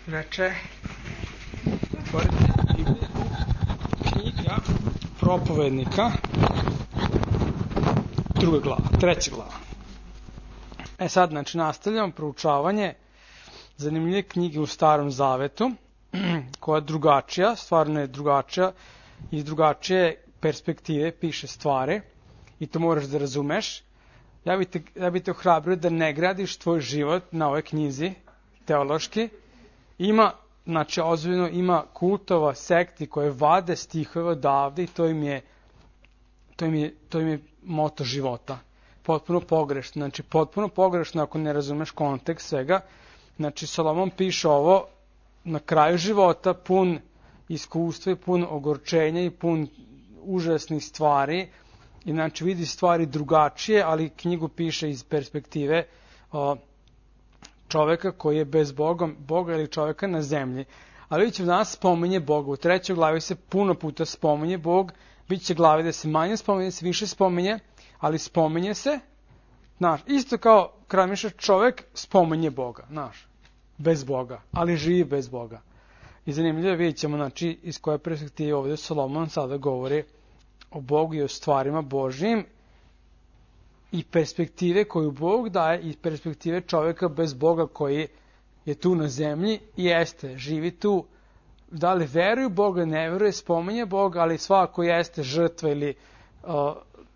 Reče, knjiga Propovednika, 2. glava, 3. glava. Sad, znači, nastavljamo proučavanje zanimljive knjige u Starom Zavetu, koja je drugačija, stvarno je drugačija, iz drugačije perspektive piše stvari i to moraš da razumeš. Ja bi te ohrabrio da ne gradiš tvoj život na ovoj knjizi, teološki. Znači, ozbiljno ima kultova, sekti koje vade stihove odavde i to im je moto života. Potpuno pogrešno. Znači, potpuno pogrešno ako ne razumeš kontekst svega. Znači, Solomon piše ovo na kraju života, pun iskustva i pun ogorčenja i pun užasnih stvari. I znači, vidi stvari drugačije, ali knjigu piše iz perspektive čoveka koji je bez Boga ili čoveka na zemlji. Ali vidite, danas spominje Boga. U 3. glavi se puno puta spominje Bog. Biće glave da se manje spominje, da se više spominje, ali spominje se. Znaš, isto kao kramiša čovek spominje Boga, znaš, bez Boga, ali živi bez Boga. I zanimljivo vidjet ćemo, znači, iz koje perspektive ovdje Solomon sada govori o Bogu i o stvarima Božjim i perspektive koju Bog daje i perspektive čovjeka bez Boga koji je tu na zemlji i jeste, živi tu, da li veruje Boga, ne veruje, spominje Boga, ali svako jeste žrtva ili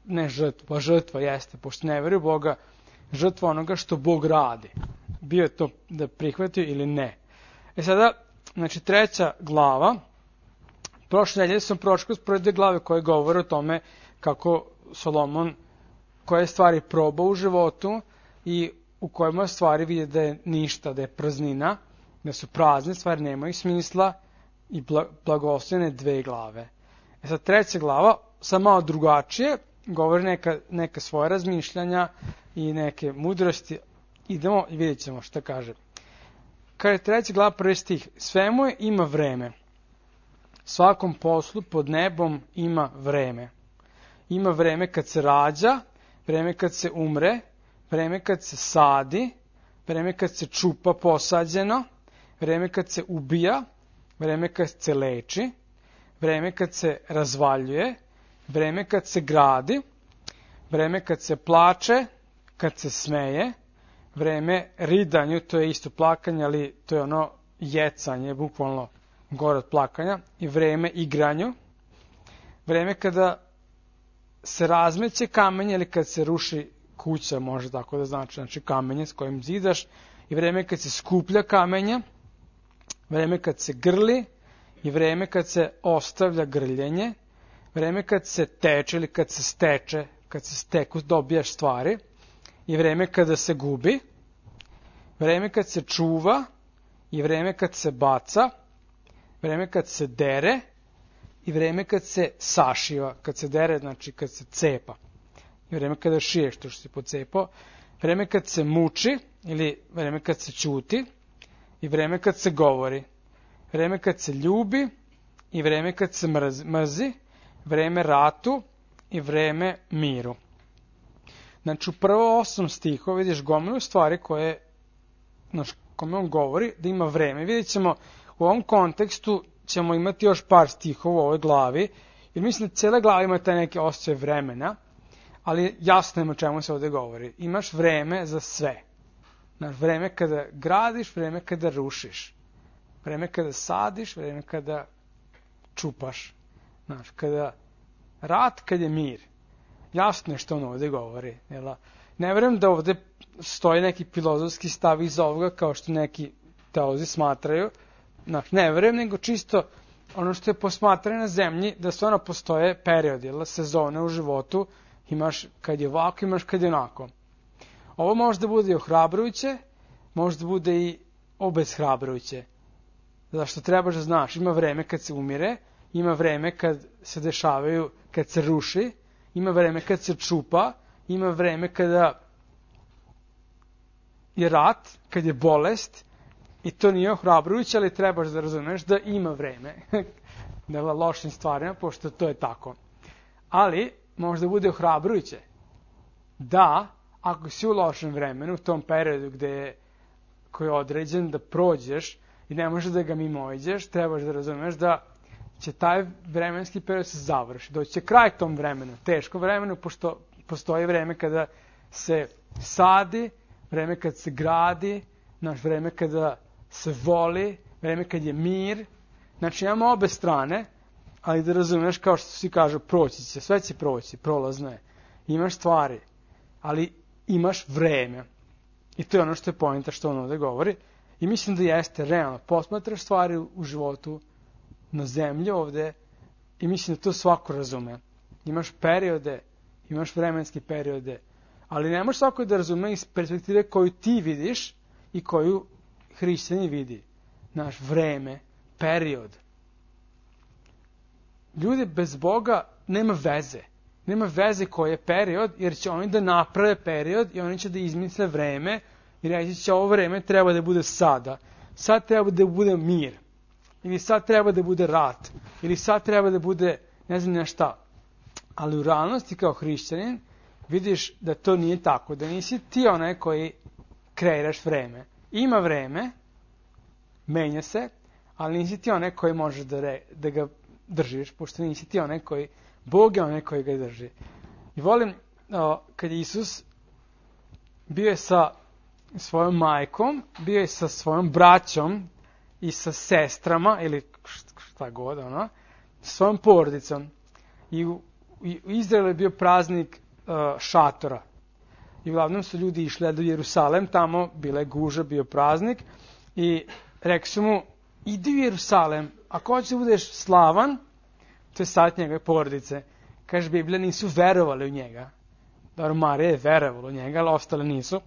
ne žrtva, žrtva jeste, pošto ne veruje Boga, žrtva onoga što Bog radi. Bio je to da prihvatio ili ne. Sada, znači 3. glava, prošle nedelje sam prošao kroz prve 2 glave koje govore o tome kako Solomon koje stvari proba u životu i u kojima stvari vide da je ništa, da je praznina, da su prazne, stvari nemaju smisla i blagoslovene 2 glave. Sad 3. glava, sad malo drugačije, govori neka svoje razmišljanja i neke mudrosti. Idemo i vidjet ćemo šta kaže. Kaže 3. glava, 1. stih. Svemu ima vreme. Svakom poslu pod nebom ima vreme. Ima vreme kad se rađa, vreme kad se umre, vreme kad se sadi, vreme kad se čupa posađeno, vreme kad se ubija, vreme kad se leči, vreme kad se razvaljuje, vreme kad se gradi, vreme kad se plače, kad se smeje, vreme ridanju, to je isto plakanje, ali to je ono jecanje, bukvalno gore od plakanja, i vreme igranju, vreme kada se razmeće kamenje ili kad se ruši kuća, može tako da znači kamenje s kojim zidaš, i vreme kad se skuplja kamenja, vreme kad se grli i vreme kad se ostavlja grljenje, vreme kad se teče ili kad se steče, kad se steku dobijaš stvari, i vreme kada se gubi, vreme kad se čuva i vreme kad se baca, vreme kad se dere i vreme kad se sašiva. Kad se dere, znači kad se cepa. I vreme kada šiješ to što si pocepao. Vreme kad se muči ili vreme kad se ćuti i vreme kad se govori. Vreme kad se ljubi i vreme kad se mrzi. Vreme ratu i vreme miru. Znači u prvo 8 stihova vidiš gomilu stvari koje, znači, kome on govori da ima vreme. Vidjet ćemo u ovom kontekstu ćemo imati još par stihova u ovoj glavi, jer mislim da cijela glava ima taj neke osjećaj vremena, ali jasno ima o čemu se ovdje govori. Imaš vreme za sve. Znaš, vreme kada gradiš, vreme kada rušiš. Vreme kada sadiš, vreme kada čupaš. Znaš, kada rat, kad je mir. Jasno je što on ovdje govori. Ne vjerujem da ovdje stoji neki filozofski stav iz ovoga, kao što neki teolozi smatraju. Znači, ne vjerujem, nego čisto ono što je posmatrano na zemlji, da stvarno postoje periodi, sezone u životu, imaš kad je ovako, imaš kad je onako. Ovo može da bude i ohrabrujuće, može da bude i obeshrabrujuće. Zašto trebaš da znaš, ima vreme kad se umire, ima vreme kad se dešavaju, kad se ruši, ima vreme kad se čupa, ima vreme kada je rat, kad je bolest. I to nije ohrabrujuće, ali trebaš da razumeš da ima vreme. Da je lošim stvarima, pošto to je tako. Ali, možda bude ohrabrujuće da, ako si u lošem vremenu, u tom periodu koji je određen da prođeš i ne može da ga mimoiđeš, trebaš da razumeš da će taj vremenski period se završi. Doći će kraj tom vremenu, teško vremenu, pošto postoji vreme kada se sadi, vreme kada se gradi, vreme kada se voli, vreme kad je mir. Znači imamo obe strane, ali da razumeš, kao što svi kažu, proći će, sve će proći, prolazno je. Imaš stvari, ali imaš vreme. I to je ono što je poenta što on ovde govori. I mislim da jeste realno. Posmatraš stvari u životu na zemlji ovde i mislim da to svako razume. Imaš periode, imaš vremenske periode, ali ne možeš svako da razume iz perspektive koju ti vidiš i koju hrišćanin vidi. Naš vreme, period. Ljudi bez Boga nema veze. Nema veze koji je period, jer će oni da naprave period i oni će da izmisle vreme i reći će ovo vreme treba da bude sada. Sad treba da bude mir. Ili sad treba da bude rat. Ili sad treba da bude ne znam šta. Ali u realnosti kao hrišćanin vidiš da to nije tako. Da nisi ti onaj koji kreiraš vreme. Ima vreme, menja se, ali nisi ti onaj koji može da ga držiš, pošto nisi ti onaj koji, Bog je onaj koji ga drži. I volim kad je Isus bio je sa svojom majkom, bio je sa svojom braćom i sa sestrama, ili šta god, sa svojom porodicom. I u Izraelu je bio praznik šatora. I uglavnom su ljudi išli do Jerusalem, tamo bila je guža, bio praznik. I rekli su mu, idi u Jerusalem, ako hoćeš da budeš slavan, to je sad njegove porodice. Kaže, Biblija, nisu verovali u njega. Dobro, Marija je verovala u njega, ali ostale nisu.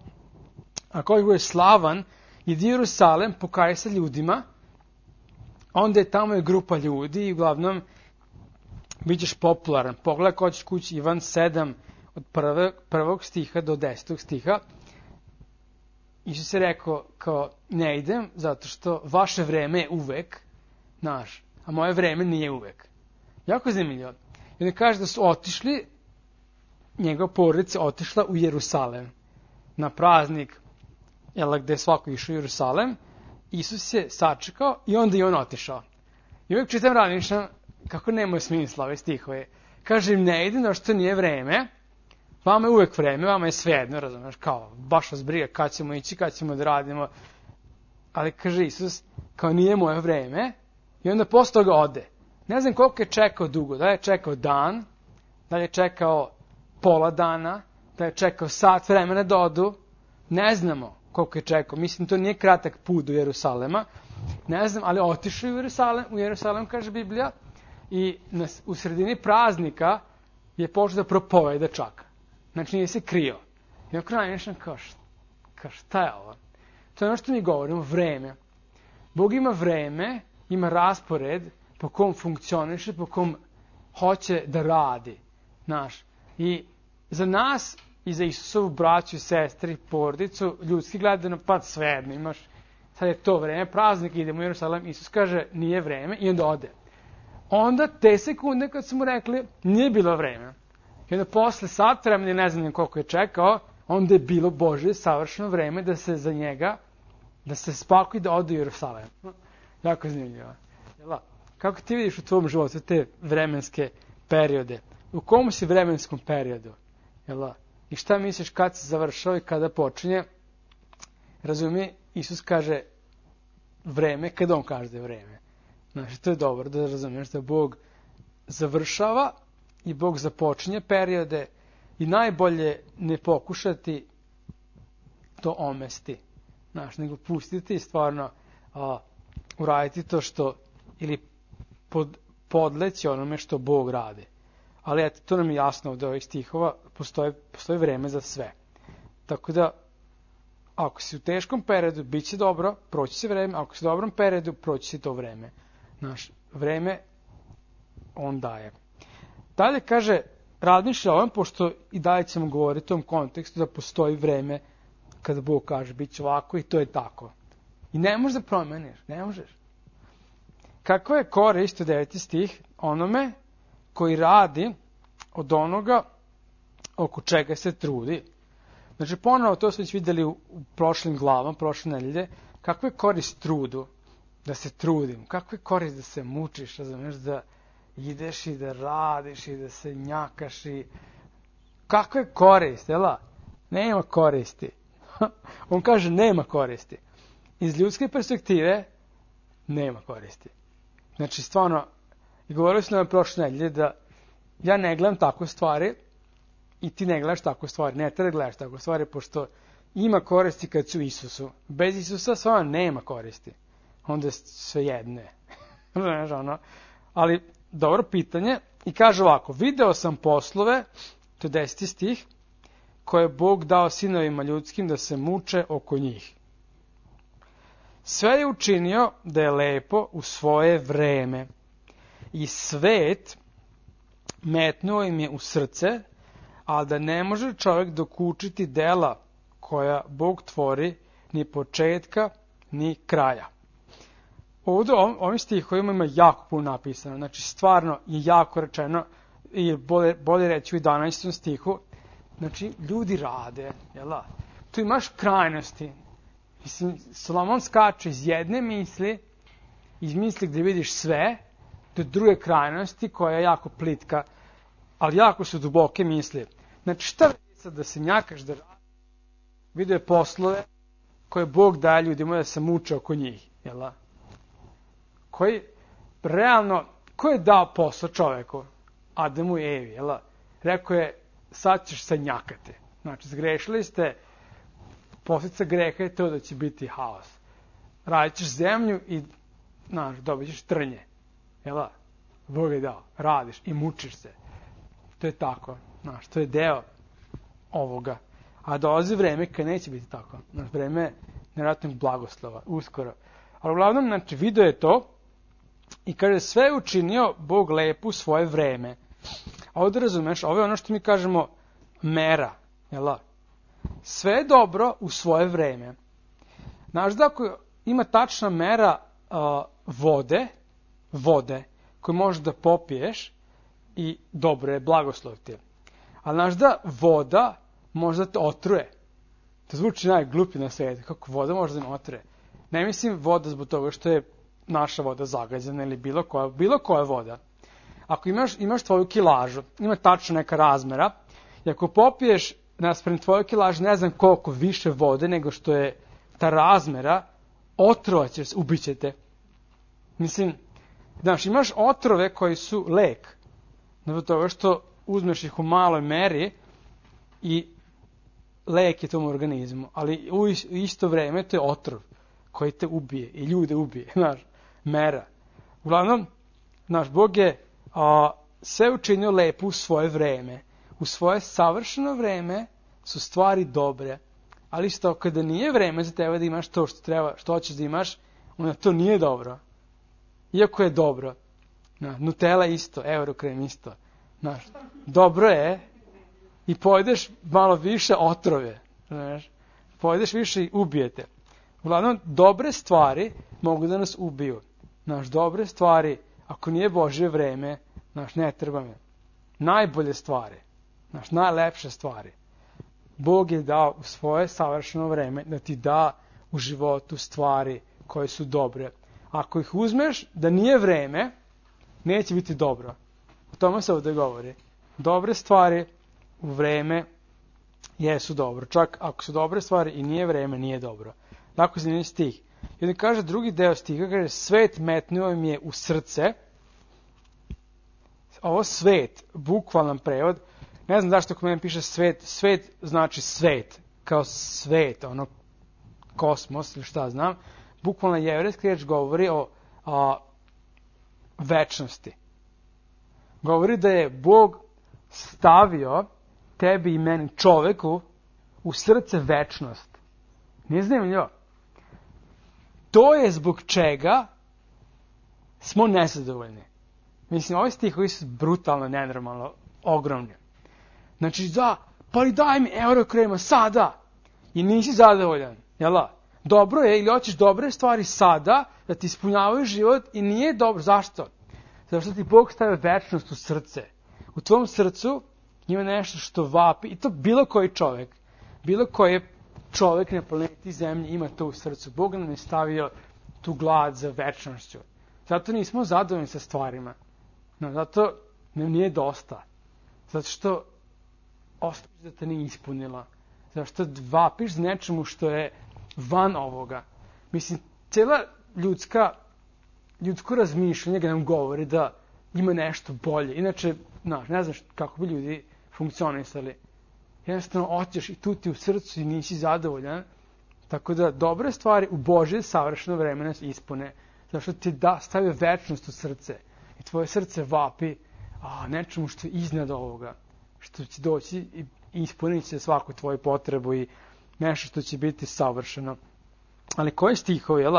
Ako hoćeš da budeš slavan, idi u Jerusalem, pokaj se ljudima, onda je tamo je grupa ljudi i uglavnom bit ćeš popularan. Pogledaj ko ćeš kući Ivan 7 od prvog stiha do 10. stiha. Isus je rekao kao ne idem zato što vaše vreme je uvek naš, a moje vreme nije uvek. Jako zanimljivo. I onda kaže da su otišli, njegova porodica otišla u Jerusalem na praznik, gde je svako išao u Jerusalem. Isus je sačekao i onda i on otišao. I uvijek čitam razmišljam kako nemaju smisla ove stihove. Kaže im ne idem, što nije vreme, vama je uvek vreme, vama je svejedno, razumiješ, kao baš vas briga kad ćemo ići, kad ćemo da radimo. Ali kaže Isus, kao nije moje vreme, i onda posle toga ode. Ne znam koliko je čekao dugo, da je čekao dan, da je čekao pola dana, da je čekao sat vremena da odu, ne znamo koliko je čekao. Mislim, to nije kratak put do Jerusalema, ne znam, ali otišao u Jerusalem, kaže Biblija, i u sredini praznika je počeo da propoveda čak. Znači nije se krio. I na kraju nešto kao šta je ovo? To je ono što mi govorimo, vreme. Bog ima vreme, ima raspored po kom funkcioniše, po kom hoće da radi. Znaš. I za nas i za Isusovu braću, sestri, porodicu, ljudski gledano, pa svejedno imaš. Sad je to vreme, praznik, idemo u Jerusalim, Isus kaže nije vreme i onda ode. Onda te sekunde kad su mu rekli nije bilo vreme. I onda posle sat vremena, ne znam koliko je čekao, onda je bilo Božje savršeno vreme da se za njega, da se spakuje da ode u Jerusalim. Jako zanimljivo. Kako ti vidiš u tvom životu te vremenske periode? U kom si vremenskom periodu? I šta misliš kad se završava i kada počinje? Razumije, Isus kaže vreme kad on kaže da je vreme. Znači, to je dobro da razumiješ da Bog završava i Bog započinje periode i najbolje ne pokušati to omesti. Znači, nego pustiti i stvarno uraditi to što ili podleći onome što Bog radi. Ali eto, to nam je jasno od ovih stihova, postoji vreme za sve. Tako da, ako si u teškom periodu, bit će dobro, proći će vreme, ako si u dobrom periodu, proći će to vreme. Naš vreme on daje. Dalje kaže, razmišlja o ovom, pošto i dalje ćemo govoriti u tom kontekstu da postoji vreme kada Bog kaže bit će ovako i to je tako. I ne možeš da promeniš, ne možeš. Kako je korist, 9. stih, onome koji radi od onoga oko čega se trudi. Znači, ponovo, to smo već vidjeli u prošlim glavama, prošle nedelje, kakva je korist trudu. da se trudim. Kakva je korist da se mučiš, razumeš, da ideš i da radiš i da se njakaš i... Kakva je korist, jela? Nema koristi. On kaže nema koristi. Iz ljudske perspektive nema koristi. Znači, stvarno, i govorili smo na prošle nedelje da ja ne gledam tako stvari i ti ne gledaš tako stvari. Ne treba da gledaš tako stvari, pošto ima koristi kad su Isusu. Bez Isusa stvarno nema koristi. Onda je sve jedne. Ali, dobro pitanje. I kaže ovako, video sam poslove, to je 10. stih, koje je Bog dao sinovima ljudskim da se muče oko njih. Sve je učinio da je lepo u svoje vreme. I svet metnuo im je u srce, ali da ne može čovjek dokučiti dela koja Bog tvori ni početka, ni kraja. Ovdje ovim stihovima ima jako puno napisano. Znači, stvarno je jako rečeno, i bolje reći u 11. stihu, znači, ljudi rade, jela? Tu imaš krajnosti. Mislim, Solomon skače iz jedne misli, iz misli gdje vidiš sve, do druge krajnosti koja je jako plitka, ali jako su duboke misli. Znači, šta vidi sad da se njakaš, da radi? Vidio je poslove koje Bog daje ljudima da se muče oko njih, jela? Koji, realno, ko je dao posao čoveku? Adamu i Evi, jela? Rekao je, sad ćeš se njakati. Znači, zgrešili ste, posljedica greha je to da će biti haos. Radit ćeš zemlju i, dobit ćeš trnje. Jela? Bog je dao. Radiš i mučiš se. To je tako. To je deo ovoga. A dolazi vreme kad neće biti tako. Vreme nevjerojatnog blagoslova. Uskoro. Ali uglavnom, znači, video je to i kaže, sve je učinio Bog lepo u svoje vreme. A ovdje razumeš, ovo je ono što mi kažemo mera. Jela? Sve je dobro u svoje vreme. Znaš da ako ima tačna mera vode, koju možeš da popiješ i dobro je, blagoslov ti je. Ali znaš da voda može da te otruje. To zvuči najgluplje na svijetu. Kako voda može da me otruje? Ne mislim voda zbog toga što je naša voda zagađena ili bilo koja voda. Ako imaš tvoju kilažu, ima tačno neka razmera, i ako popiješ naspram tvoju kilažu ne znam koliko više vode nego što je ta razmera, otrovaćeš se, ubiće te. Mislim, znaš, imaš otrove koji su lek. Zbog toga što uzmeš ih u maloj meri i lek je tom organizmu. Ali u isto vrijeme to je otrov koji te ubije i ljude ubije. Znaš, mera. Uglavnom, naš Bog je sve učinio lepo u svoje vrijeme. U svoje savršeno vrijeme su stvari dobre. Ali isto kada nije vrijeme za tebe da imaš to što treba, što hoćeš da imaš, onda to nije dobro. Iako je dobro. Nutella isto, Eurokrem isto. Znaš, dobro je i pojedeš malo više otrove. Znaš, pojedeš više i ubijete. Uglavnom, dobre stvari mogu da nas ubiju. Znaš, dobre stvari, ako nije Božje vreme, znaš, ne treba me. Najbolje stvari, znaš, najlepše stvari. Bog je dao u svoje savršeno vreme da ti da u životu stvari koje su dobre. Ako ih uzmeš da nije vreme, neće biti dobro. O tome se ovdje govori. Dobre stvari u vreme jesu dobro. Čak ako su dobre stvari i nije vreme, nije dobro. Tako zanimljiv stih. I onda kaže drugi deo stiha, kaže svet metnuo im je u srce. Ovo svet, bukvalan prevod, ne znam zašto kod mene piše svet, svet znači svet, kao svet, ono kosmos ili šta znam. Bukvalno jevrejski riječ govori o večnosti. Govori da je Bog stavio tebi i meni, čoveku, u srce večnost. Nije zanimljivo? To je zbog čega smo nezadovoljni. Mislim, ovi stihovi su brutalno, nenormalno, ogromni. Znači, pa li daj mi Eurokrema sada i nisi zadovoljan, jela? Dobro je, ili hoćeš dobre stvari sada, da ti ispunjavaju život i nije dobro. Zašto? Zato što ti Bog stavio večnost u srce. U tvom srcu ima nešto što vapi, i to bilo koji čovjek, bilo koji čovjek na planeti Zemlji ima to u srcu. Bog nam je stavio tu glad za večnošću. Zato nismo zadovoljni sa stvarima. No, zato nam nije dosta. Zato što ostaviš da te nije ispunila. Zato što vapiš za nečemu što je van ovoga. Mislim, cijela ljudsko razmišljanje ga nam govori da ima nešto bolje. Inače, ne znaš kako bi ljudi funkcionisali. Jednostavno, oćeš i tu ti u srcu i nisi zadovoljan. Tako da, dobre stvari u Božje savršeno vreme nas ispune. Zato što ti stavio večnost u srce. I tvoje srce vapi nečemu što je iznad ovoga. Što će doći i ispuniti će svaku tvoju potrebu i nešto što će biti savršeno. Ali koji stihovi, jel?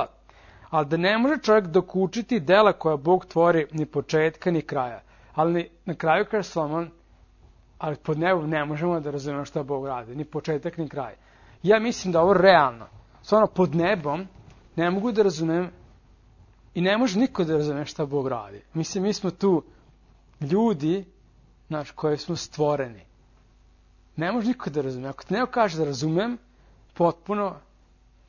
Ali da ne može čovjek dokučiti dela koja Bog tvori ni početka ni kraja. Ali na kraju kaže Solomon, ali pod nebom ne možemo da razumemo šta Bog radi. Ni početak ni kraj. Ja mislim da ovo realno. Stvarno pod nebom ne mogu da razumem i ne može niko da razume šta Bog radi. Mislim, mi smo tu ljudi, koji smo stvoreni. Ne može niko da razume. Ako ti neko kaže da razumem, potpuno,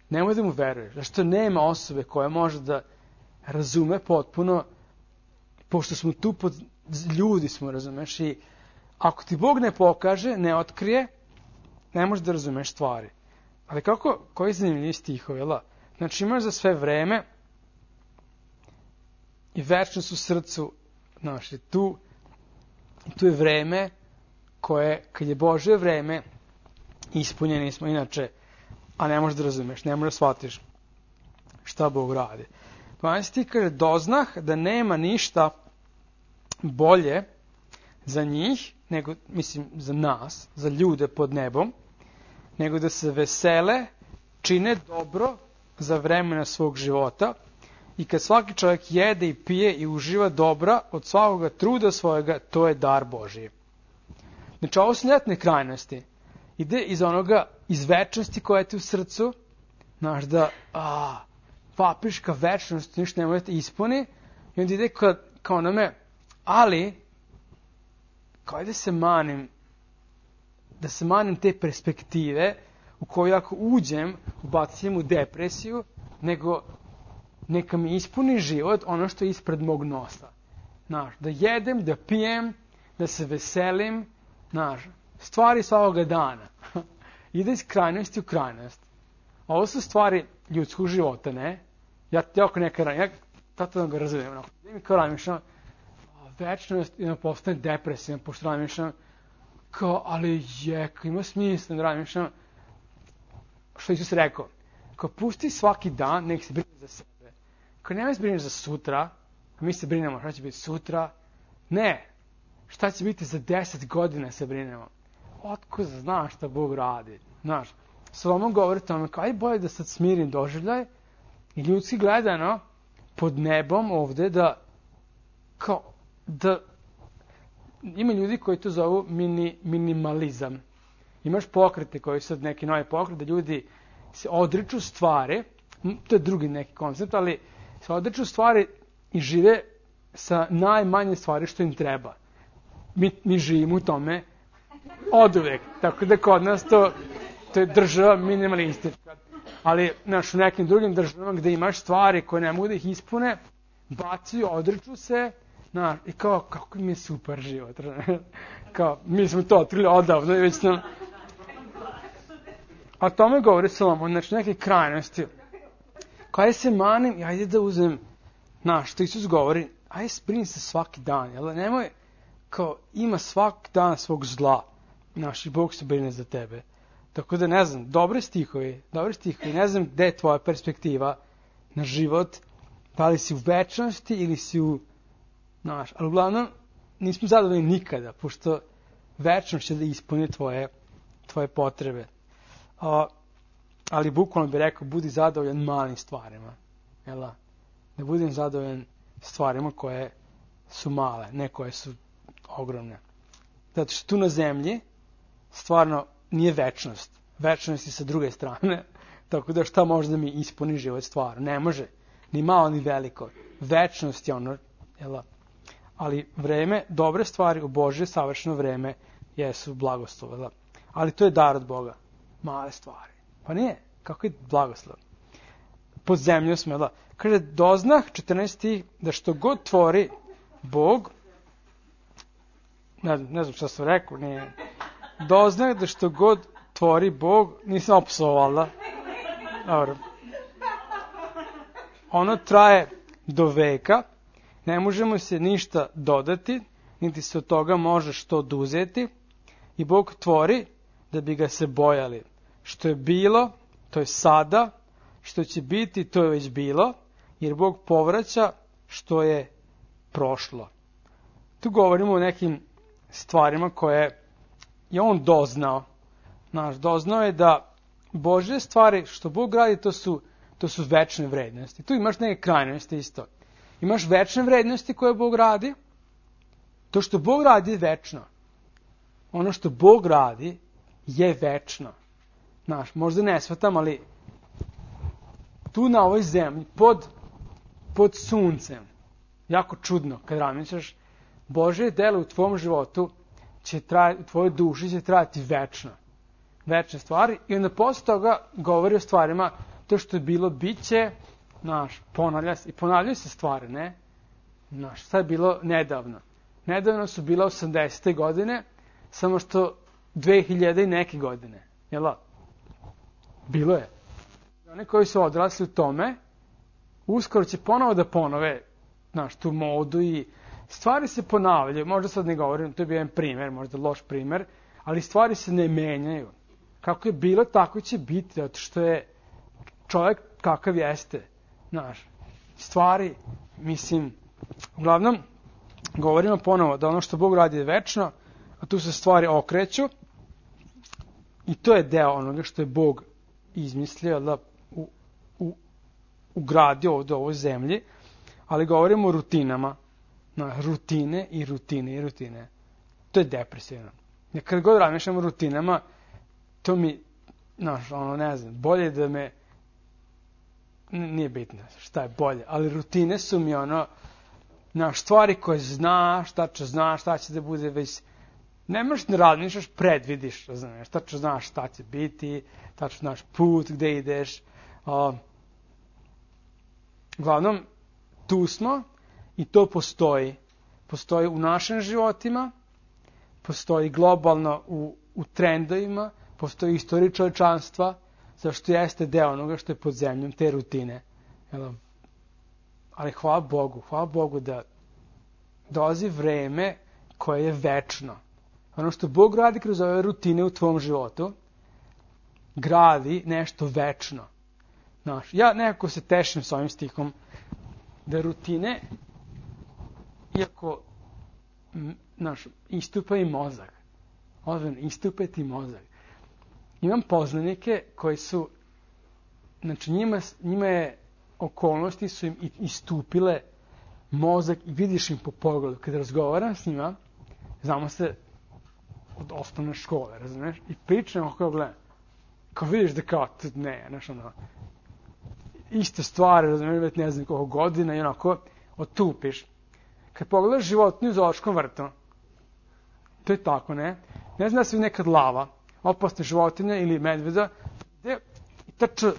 nemoj da mu veruješ. Zašto nema osobe koja može da razume potpuno, pošto smo tu ljudi smo, razumeš, i ako ti Bog ne pokaže, ne otkrije, ne možeš da razumeš stvari. Ali koji zanimljivi stihovi, jel? Znači imaš za sve vreme i večnost u srcu, tu je vreme koje, kad je Božje vreme, ispunjeni smo inače, a ne možeš da razumeš, ne možeš da shvatiš šta Bog radi. 12. kaže, doznah da nema ništa bolje za njih, nego, mislim, za nas, za ljude pod nebom, nego da se vesele, čine dobro za vremena svog života i kad svaki čovjek jede i pije i uživa dobra od svakoga truda svojega, to je dar Božiji. Znači, ovo su ljetne krajnosti. Ide iz večnosti koja je ti u srcu, da vapiš ka večnosti, ništa ne može da te ispuni, i onda ide kao na me, ali, kao da se manim te perspektive u koju ako uđem, ubacim u depresiju, nego neka mi ispuni život ono što je ispred mog nosa. Da jedem, da pijem, da se veselim, stvari svakoga dana. Ide iz krajnosti u krajnost. Ovo su stvari ljudskog života, ne? Ja ako neka radim, ja tato ga razumijem. Mi kao razmišljam, večnost postane depresija, pošto razmišljam, ali ima smisla da razmišljam, što Isus rekao, pusti svaki dan, nek se brine za sebe. Nemoj se brineš za sutra, a mi se brinemo šta će biti sutra. Ne, šta će biti za 10 godina se brinemo. Otko znaš šta Bog radi. Solomon govori tome, aj bolje da sad smirim doživljaj i ljudski gledano pod nebom ovde da ima ljudi koji to zovu minimalizam. Imaš pokrete koji su neki novi pokret, da ljudi se odriču stvari, to je drugi neki koncept, ali se odriču stvari i žive sa najmanje stvari što im treba. Mi živimo u tome oduvek, tako da kod nas to je država minimalistička. Ali u nekim drugim državama gde imaš stvari koje ne mogu da ih ispune, bacaju, odriču se, i kako mi je super život. Mi smo to otkrili odavno i već nam... A tome govori Solomon, neke krajnosti. Kada se manim, i ajde da uzem, što Isus govori, ajde brini se svaki dan, jel? Nemoj, ima svaki dan svog zla, i Bog se brine za tebe. Tako da, ne znam, dobri stihovi, ne znam gde je tvoja perspektiva na život, da li si u večnosti ili si u, ali uglavnom nismo zadovoljni nikada, pošto večnost će da ispuni tvoje potrebe. Ali bukvalno bih rekao, budi zadovoljan malim stvarima. Da budem zadovoljan stvarima koje su male, ne koje su ogromne. Zato što tu na zemlji stvarno nije večnost. Večnost je sa druge strane. Tako da šta može da mi ispuni život stvarno? Ne može. Ni malo, ni veliko. Večnost je ono, ali vreme, dobre stvari u Božje savršeno vreme jesu blagoslov. Ali to je dar od Boga. Male stvari. Pa nije. Kako je blagoslov? pod zemljom smo, da. Kaže, doznah, 14. da što god tvori Bog, ne znam šta sam rekao, nije. Doznah da što god tvori Bog, nisam opsovao, valjda. Dobro. Ono traje do veka, ne možemo se ništa dodati, niti se od toga može što oduzeti, i Bog tvori da bi ga se bojali. Što je bilo, to je sada, što će biti, to je već bilo, jer Bog povraća što je prošlo. Tu govorimo o nekim stvarima koje je on doznao. Doznao je da Božje stvari što Bog radi, to su večne vrednosti. Tu imaš neke krajnosti isto. Imaš večne vrednosti koje Bog radi. To što Bog radi je večno. Ono što Bog radi je večno. Možda ne shvatam, ali tu na ovoj zemlji, pod suncem, jako čudno kad razmišljaš, Božje delo u tvom životu u tvojoj duši će trajati večno. Večne stvari. I onda posle toga govori o stvarima, to što je bilo, bit će, ponavljaju se stvari, ne? Šta je bilo nedavno? Nedavno su bila 80. godine, samo što 2000 i neke godine. Jel' da? Bilo je. Oni koji su odrasli u tome, uskoro će ponovo da ponove tu modu i stvari se ponavljaju. Možda sad ne govorim, to je bio jedan primjer, možda loš primjer, ali stvari se ne menjaju. Kako je bilo, tako će biti, zato što je čovjek kakav jeste. Stvari, uglavnom, govorimo ponovo da ono što Bog radi je večno, a tu se stvari okreću i to je deo onoga što je Bog izmislio, da ugradio ovdje u ovoj zemlji, ali govorimo o rutinama. Rutine i rutine i rutine. To je depresivno. Kad god razmišljam o rutinama, to mi, ne znam, bolje da me, nije bitno šta je bolje, ali rutine su mi stvari koje znaš, šta će da bude već, ne možeš da razmišljaš, predvidiš, tačno znaš šta će biti, tačno znaš put gde ideš. Uglavnom, tu smo i to postoji. Postoji u našim životima, postoji globalno u trendovima, postoji istorija čovječanstva, zašto jeste deo onoga što je pod zemljom, te rutine. Ali hvala Bogu da dolazi vreme koje je večno. Ono što Bog radi kroz ove rutine u tvom životu, gradi nešto večno. Ja nekako se tešim s ovim stihom, da rutine, iako istupa i mozak, istupa ti mozak. Imam poznanike koji su, njima je okolnosti su im istupile mozak i vidiš im po pogledu. Kada razgovaram s njima, znamo se od osnovne škole, razumiješ? I pričam kako gledam. Kao vidiš da kao, iste stvari, razumiješ, ne znam koliko godina i onako otupiš. Kad pogledaš životinju u zoološkom vrtu, to je tako, ne? Ne znam da se nekad lava, opasne životinje ili medveda, i trče,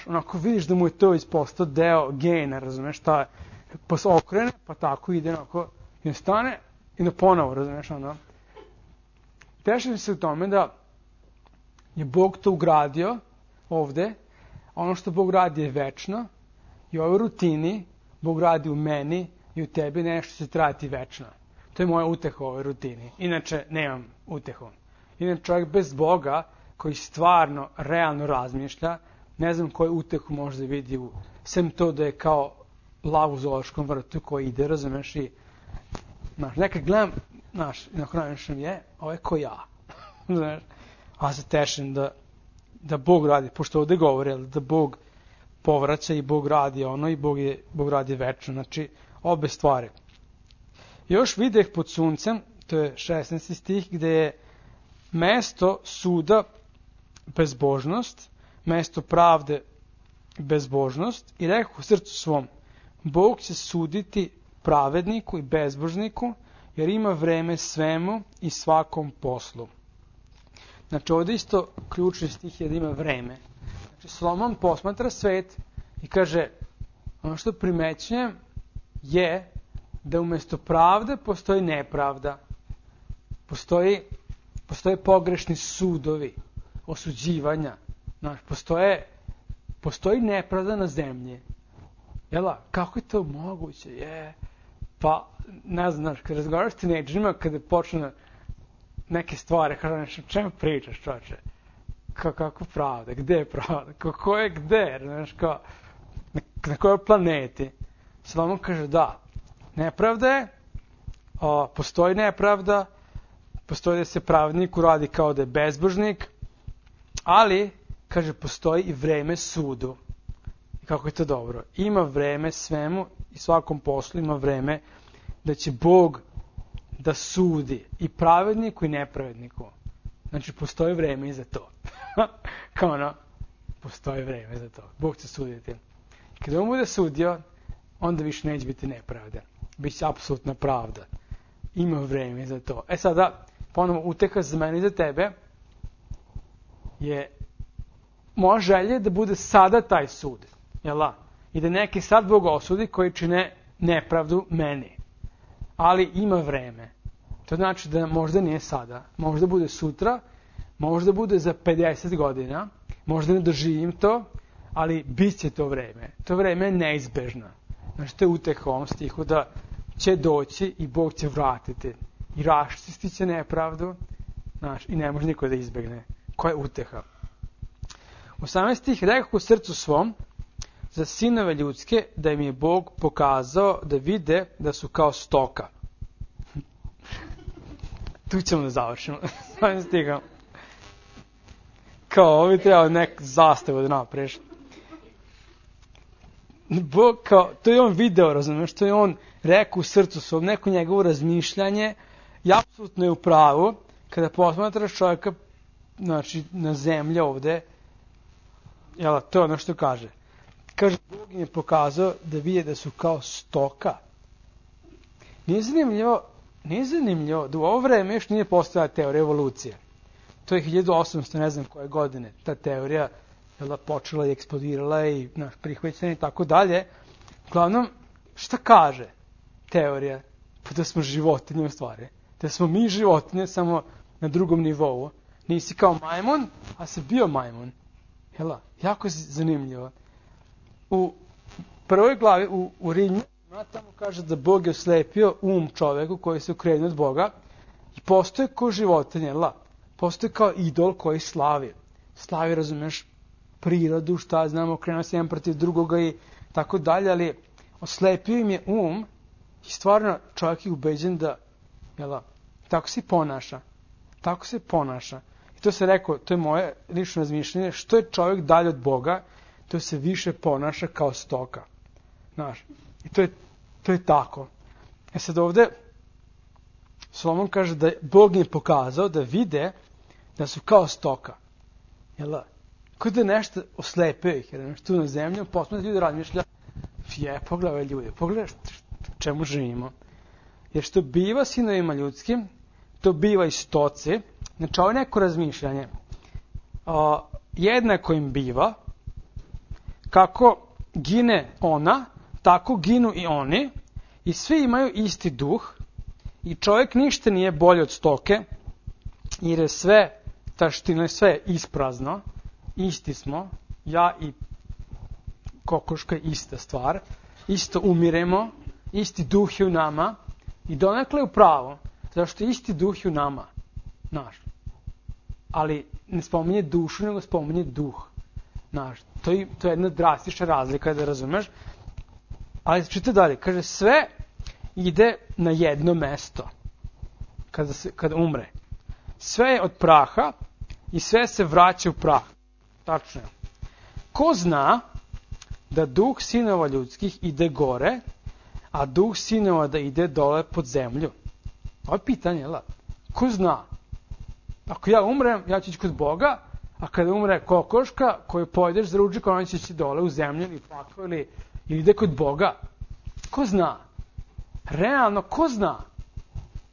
onako vidiš da mu je to već postao deo gena, razumiješ, šta je, pa se okrene, pa tako ide, onako, i stane, i ponovo, razumiješ, Tešim se u tome da je Bog to ugradio ovde, ono što Bog radi je večno, i u ovoj rutini Bog radi u meni i u tebi nešto će trajati večno. To je moja uteha u ovoj rutini. Inače, nemam utehu. Inače, čovjek bez Boga, koji stvarno, realno razmišlja, ne znam koju utehu može da vidi sem to da je kao lav u zoološkom vrtu koji ide, razumeš, i nekad gledam, nakon razmišljam ovo je ko ja. A se tešim da Bog radi, pošto ovdje govori, da Bog povraća i Bog radi i Bog radi večno. Znači, obe stvari. Još videh pod suncem, to je 16. stih, gde je mesto suda bezbožnost, mesto pravde bezbožnost, i rekao u srcu svom, Bog će suditi pravedniku i bezbožniku, jer ima vreme svemu i svakom poslu. Znači, ovdje isto ključni stih je da ima vreme. Znači, Solomon posmatra svet I kaže, ono što primećujem je da umjesto pravde postoji nepravda. Postoje pogrešni sudovi, osuđivanja. Znaš, postoji nepravda na zemlji. Jela, kako je to moguće? Pa, ne znaš, kad razgovaraš s tinejdžerima, kada počne neke stvari, kaže nešto, čemu pričaš, čoče? Kako pravda? Gde je pravda? Ko je gde? Znaš, na kojoj planeti? Solomon kaže, da, nepravda je, postoji nepravda, postoji da se pravnik uradi kao da je bezbožnik, ali, kaže, postoji i vreme sudu. I kako je to dobro? Ima vreme svemu i svakom poslu ima vreme da će Bog da sudi i pravedniku i nepravedniku. Znači, postoji vreme i za to. Kao ono, postoji vreme za to. Bog će suditi. Kada on bude sudio, onda više neće biti nepravda. Biće apsolutna pravda. Ima vreme za to. Sada, ponovno, uteha za mene i za tebe je moja želja da bude sada taj sud. Jela? I da neki sad Bog osudi koji čine nepravdu meni. Ali ima vreme. To znači da možda nije sada. Možda bude sutra, možda bude za 50 godina, možda ne doživim to, ali bit će to vreme. To vreme je neizbežno. Znači, to je uteha u ovom stihu da će doći i Bog će vratiti. I raščistit će nepravdu, znaš, i ne može niko da izbegne. Koja je uteha? 18 stih, rekao u srcu svom, za sinove ljudske, da im je Bog pokazao da vide da su kao stoka. Tu ćemo da završimo. 18 stiha. Kao, ovo bi trebalo nek zastavu da napreš. Bog, kao, to je on video, razumiješ, to je on rekao u srcu svom, neko njegovo razmišljanje, i apsolutno je u pravu, kada posmatraš čovjeka, znači, na zemlji ovde, jel, to je ono što kaže. Kaže, Bog im je pokazao da vide da su kao stoka. Nije zanimljivo da u ovo vreme još nije postojala teorija evolucije. To je 1800, ne znam koje godine, ta teorija počela i eksplodirala i prihvaćena i tako dalje. Uglavnom, šta kaže teorija? Pa da smo životinje u stvari. Da smo mi životinje samo na drugom nivou. Nisi kao majmun, a si bio majmun. Jela, jako zanimljivo. U prvoj glavi, u Rimljanima, tamo kaže da Bog je oslepio čoveku koji se okrenuo od Boga i postoje kao životinje, jela. Postoje kao idol koji slavi. Slavi, razumeš, prirodu, šta znamo, okrenuo se jedan protiv drugoga i tako dalje, ali oslepio im je i stvarno čovjek je ubeđen da, jela, tako se ponaša. Tako se ponaša. I to se rekao, to je moje lično razmišljanje, što je čovjek dalje od Boga, to se više ponaša kao stoka. Znaš, i to je tako. Sad ovdje, Solomon kaže da Bog je pokazao da vide da su kao stoka. Jel' Kod da nešto oslepio ih, jer nešto tu na zemlju, posmeti ljudi razmišlja, pogledaj ljudi, pogledaj čemu živimo. Jer što biva sinovima ljudskim, to biva i stoci. Znači, ovo je neko razmišljanje. Jednako im biva, kako gine ona, tako ginu i oni, i svi imaju isti duh, i čovjek ništa nije bolji od stoke, jer je sve taština, sve je isprazno, isti smo, ja i kokoška ista stvar, isto umiremo, isti duh je u nama, i donekle je u pravu, zašto je isti duh je u nama, naš. Ali ne spominje dušu, nego spominje duh. Naš. To je jedna drastična razlika, da razumeš. Ali čite dalje, kaže, sve ide na jedno mesto kada umre. Sve je od praha i sve se vraća u prah. Tačno je. Ko zna da duh sinova ljudskih ide gore, a duh sinova da ide dole pod zemlju? Ovo je pitanje, jel? Ko zna? Ako ja umrem, ja ću ići kod Boga, a kada umre kokoška koju pojedeš za ručak, ona će ići dole u zemlju ili pakao ili ide kod Boga. Ko zna? Realno, ko zna?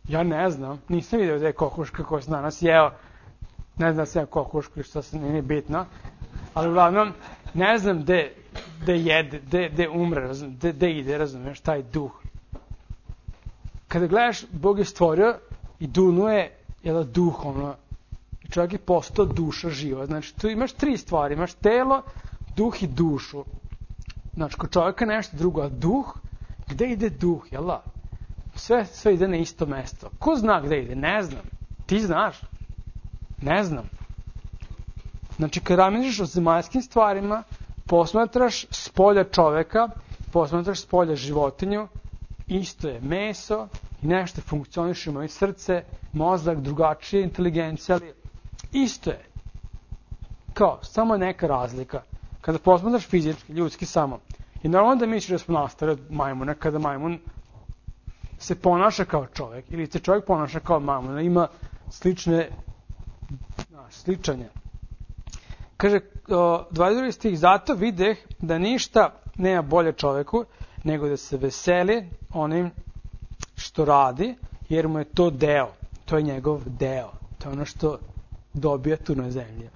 Ja ne znam. Nisam vidio da je kokoška koja se danas jeo. Ne znam da se je kokoška i što se nije bitno. Ali uglavnom, ne znam gde jede, gde umre, gde ide, razumeš, taj duh. Kada gledaš, Bog je stvorio i dunuje duh, i čovjek je postao duša živa. Znači, tu imaš 3 stvari, imaš telo, duh i dušu. Znači, kod čovjeka nešto drugo, a duh, gde ide duh, sve ide na isto mesto. Ko zna gde ide? Ne znam. Ti znaš? Ne znam. Znači, kad razmišljaš o zemaljskim stvarima, posmatraš s polja čoveka, posmatraš s polja životinju, isto je meso i nešto funkcioniše, moje srce, mozak, drugačije, inteligencija, ali isto je. Kao, samo neka razlika. Kada posmatraš fizički, ljudski samo, i normalno da misliš da smo nastali od majmuna, kada majmun se ponaša kao čovjek, ili se čovjek ponaša kao majmun, ima sličanje. Kaže, 22. stih, zato videh da ništa nema bolje čovjeku, nego da se veseli onim što radi, jer mu je to deo. To je njegov deo. To je ono što dobija tu na zemlji.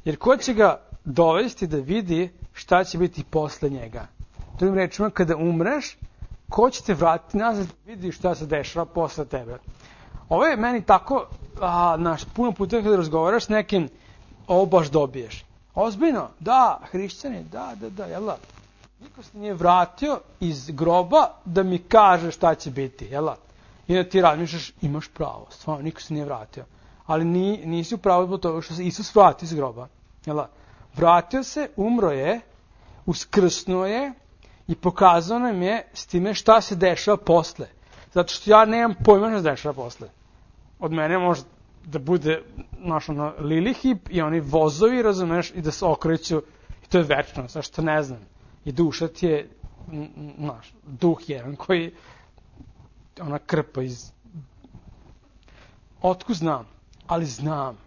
Jer ko će ga dovesti da vidi šta će biti posle njega? Drugim rečima, kada umreš, ko će te vratiti nazad da vidi šta se dešava posle tebe? Ovo je meni tako, puno puta kada razgovaraš s nekim, ovo baš dobiješ. Ozbiljno? Da, hrišćani, da, jel da? Niko se nije vratio iz groba da mi kaže šta će biti, jel da? I da ti razmišljaš, imaš pravo, stvarno, niko se nije vratio. Ali nisi u pravu zbog toga što se Isus vratio iz groba, jel da? Vratio se, umro je, uskrsnuo je i pokazao nam je s time šta se dešava posle. Zato što ja nemam pojma šta se dešava posle. Od mene može da bude lilihip i oni vozovi, razumeš, i da se okreću, i to je večno, zašto ne znam. I duša ti je, duh jedan koji, ona krpa iz... Otkud znam? Ali znam.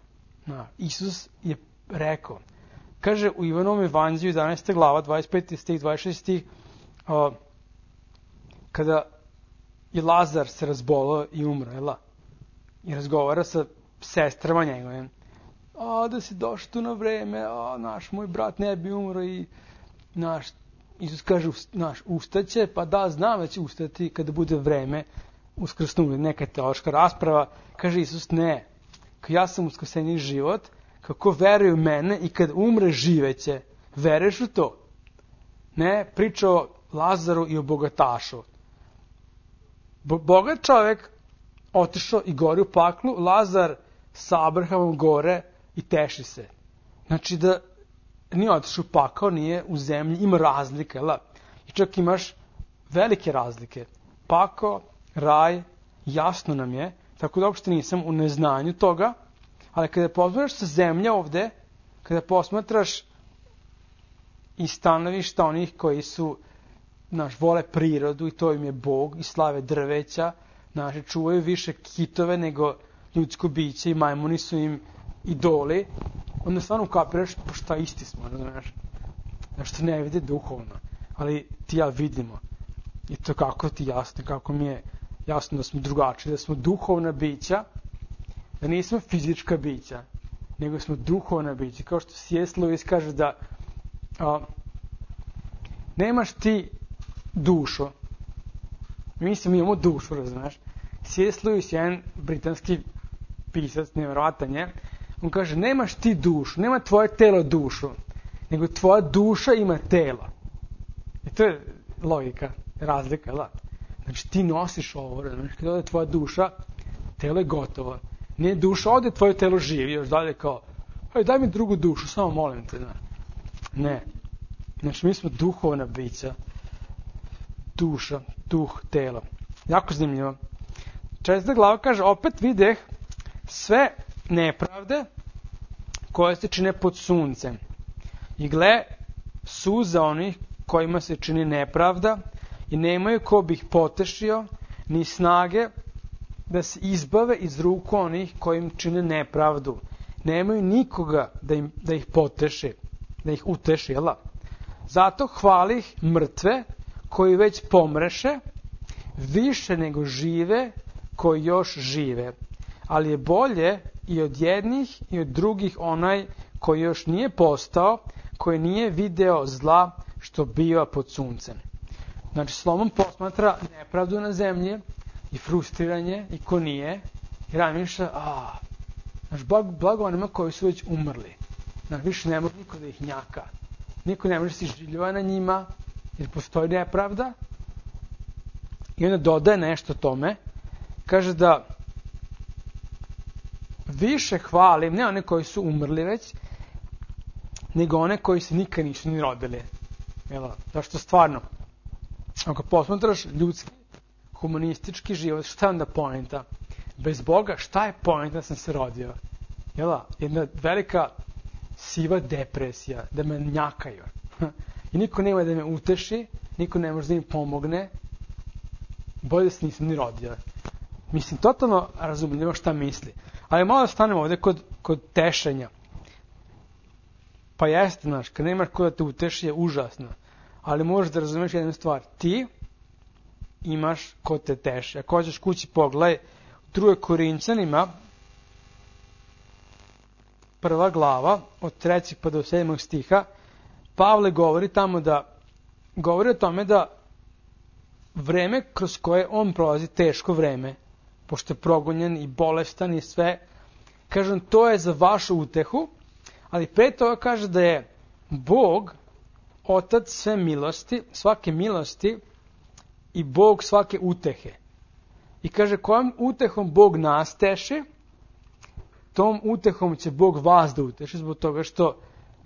Isus je rekao, kaže u Ivanovom evanđelju 11. glava, 25. stih, 26. stih, kada je Lazar se razbolao i umro, i razgovara sa sestrama njegovim. Da si došao tu na vreme, moj brat ne bi umro i Isus kaže, ustaće, pa da, znam da će ustati kada bude vreme uskrsnuti, neka teološka rasprava. Kaže Isus, ne, ja sam uskrsenji život, kako veruje u mene i kad umre živeće, veruješ u to? Ne, priča o Lazaru i o bogatašu. Bogat čovjek otišao i gori u paklu, Lazar sa Abrahamom gore i teši se. Znači da nije otišao u pakao, nije u zemlji, ima razlike, i čak imaš velike razlike. Pakao, raj, jasno nam je, tako da uopšte nisam u neznanju toga, ali kada posmatraš sa zemlje ovde, kada posmatraš i stanovišta onih koji su, vole prirodu i to im je Bog i slave drveća, čuvaju više kitove nego ljudsko biće i majmuni su im idoli, onda stvarno ukapiraš, pa šta isti smo, znaš, što ne vide duhovno, ali ti ja vidimo. I to kako ti jasno, kako mi je jasno da smo drugačiji, da smo duhovna bića, da nismo fizička bića, nego smo duhovna bića. Kao što C.S. Lewis kaže da nemaš ti dušu. Mi imamo dušu, razumiješ. C.S. Lewis je jedan britanski pisac, nevjerovatan je. On kaže, nemaš ti dušu, nema tvoje telo dušu, nego tvoja duša ima telo. I to je logika, razlika, da? Znači ti nosiš ovo, razumiješ, kada ode tvoja duša, telo je gotovo. Nije duša, ode tvoje telo živi, još dalje kao, daj mi drugu dušu, samo molim te. Ne. Znači mi smo duhovna bića. Duša, duh, telo. Jako zanimljivo. 4. glava kaže, opet videh sve nepravde koje se čine pod suncem. I gle, suza onih kojima se čini nepravda i nemaju ko bi ih potešio, ni snage da se izbave iz ruku onih kojim čine nepravdu. Nemaju nikoga da ih poteši, da ih uteši, jel? Zato hvalih mrtve koji već pomreše, više nego žive koji još žive. Ali je bolje i od jednih i od drugih onaj koji još nije postao, koji nije video zla što biva pod suncem. Znači, Solomon posmatra nepravdu na zemlji i frustriranje i ko nije i razmišlja, znaš, blago onima koji su već umrli. Znaš, više ne može niko da ih njaka. Niko ne može se življava na njima jer postoji nepravda. I onda dodaje nešto tome. Kaže da više hvalim, ne one koji su umrli već, nego one koji se nikad nisu ni rodili. Zašto stvarno, ako posmatraš ljudski, humanistički život, šta je onda poenta? Bez Boga, šta je poenta da sam se rodio? Jedna velika siva depresija, da me njakaju. I niko nema da me uteši, niko ne može da mi pomogne, bolje da se nisam ni rodio. Mislim, totalno razumljivo šta misli. Ali malo da stanemo ovdje kod tešenja. Pa jeste, znaš, kad nemaš ko da te uteši je užasno. Ali možeš da razumeš jednu stvar. Ti imaš ko te teši. Ako hoćeš kući pogledaj, u 2. Korinćanima, 1. glava, od 3. pa do 7. stiha, Pavle govori o tome da vreme kroz koje on prolazi, teško vreme, pošto je progonjen i bolestan i sve, kažem, to je za vašu utehu, ali pre toga kaže da je Bog, Otac sve milosti, svake milosti i Bog svake utehe. I kaže, kojom utehom Bog nas teši, tom utehom će Bog vas da uteši, zbog toga što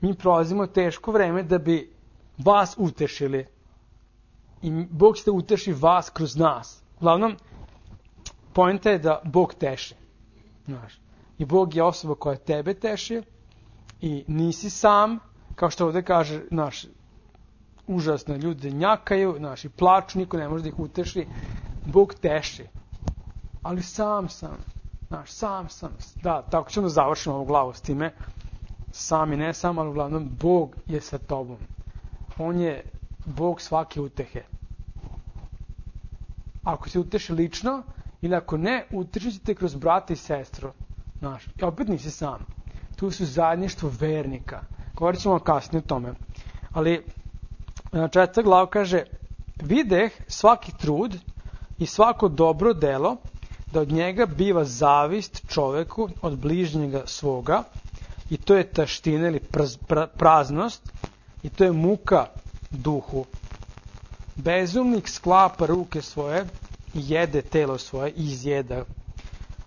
mi prolazimo teško vreme da bi vas utešili. I Bog će da uteši vas kroz nas. Uglavnom, poenta je da Bog teši. Znaš. I Bog je osoba koja tebe teši i nisi sam, kao što ovdje kaže, užasno ljudi njakaju, i plaču, niko ne može da ih uteši. Bog teši. Ali sam sam. Sam sam. Da, tako ćemo da završimo ovu glavu s time. Sam i ne sam, ali uglavnom Bog je sa tobom. On je Bog svake utehe. Ako se uteši lično, ili ako ne, utešit ćete kroz brata i sestru. I opet nisi sam. Tu su zajedništvo vernika. Govorit ćemo kasnije o tome. Ali 4. glava kaže, videh svaki trud i svako dobro delo, da od njega biva zavist čoveku od bližnjega svoga, i to je taština ili praznost, i to je muka duhu. Bezumnik sklapa ruke svoje i jede telo svoje i izjeda.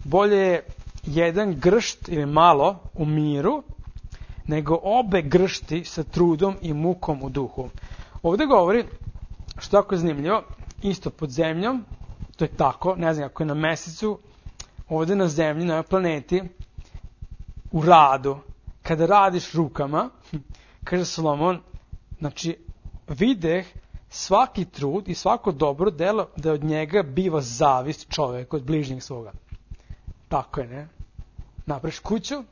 Bolje je jedan gršt ili malo u miru, nego obe gršti sa trudom i mukom u duhu. Ovdje govori, što tako je zanimljivo, isto pod zemljom, to je tako, ne znam kako je na mesecu, ovdje na zemlji, na ovoj planeti, u radu, kada radiš rukama, kaže Solomon, videh svaki trud i svako dobro delo, da od njega biva zavist čovjek od bližnjeg svoga. Tako je, ne? Napraviš kuću,